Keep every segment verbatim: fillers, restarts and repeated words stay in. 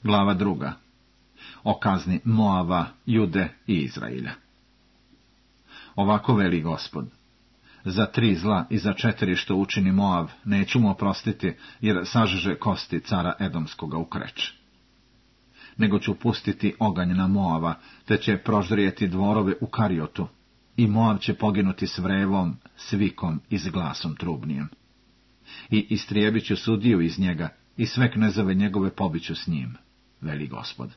Glava druga. O kazni Moava, Jude i Izrailja. Ovako veli Gospod: za tri zla i za četiri što učini Moav neću mu oprostiti, jer sažeže kosti cara Edomskoga u Kreč. Nego ću pustiti oganj na Moava, te će proždrijeti dvorove u Kariotu, i Moav će poginuti s vrevom, svikom i s glasom trubnijem. I istrijebit ću sudiju iz njega, i sve knezove njegove pobiću s njim, veli Gospod.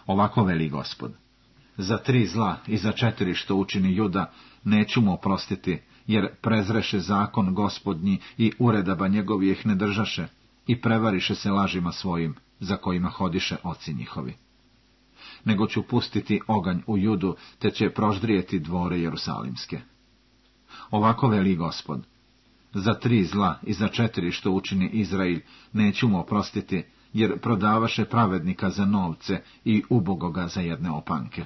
Ovako veli Gospod: za tri zla i za četiri što učini Juda neću mu oprostiti, jer prezreše zakon Gospodnji i uredaba njegovih ne držaše, i prevariše se lažima svojim, za kojima hodiše oci njihovi. Nego ću pustiti oganj u Judu, te će proždrijeti dvore jerusalimske. Ovako veli Gospod: za tri zla i za četiri što učini Izrail neću mu oprostiti, jer prodavaše pravednika za novce i ubogoga za jedne opanke.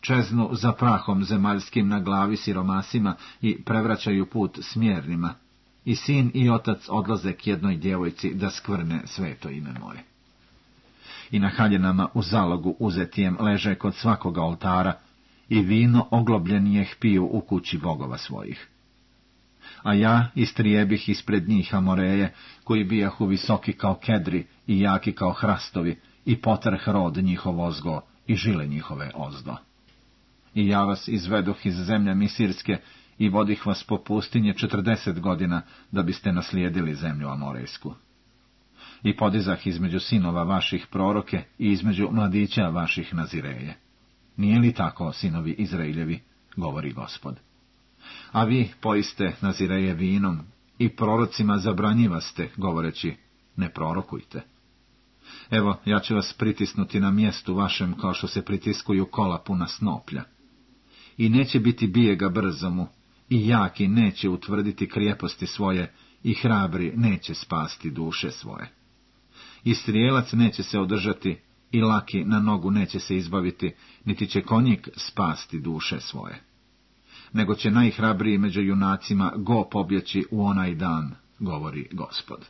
Čeznu za prahom zemaljskim na glavi siromasima i prevraćaju put smjernima, i sin i otac odlaze k jednoj djevojci da skvrne sveto ime moje. I na haljinama u zalogu uzetijem leže kod svakoga oltara, i vino oglobljenijeh piju u kući bogova svojih. A ja istrijebih ispred njih Amoreje, koji bijahu visoki kao kedri i jaki kao hrastovi, i potrh rod njihov ozgo i žile njihove ozdo. I ja vas izvedoh iz zemlje Misirske i vodih vas po pustinje četrdeset godina, da biste naslijedili zemlju Amorejsku. I podizah između sinova vaših proroke i između mladića vaših Nazireje. Nije li tako, sinovi Izrailjevi, govori Gospod? A vi poiste Nazireje vinom i prorocima zabranjivaste, govoreći: ne prorokujte. Evo, ja ću vas pritisnuti na mjestu vašem, kao što se pritiskuju kola puna snoplja. I neće biti bijega brzomu, i jaki neće utvrditi krijeposti svoje, i hrabri neće spasti duše svoje. I strijelac neće se održati, i laki na nogu neće se izbaviti, niti će konjik spasti duše svoje. Nego će najhrabriji među junacima go pobjeći u onaj dan, govori Gospod.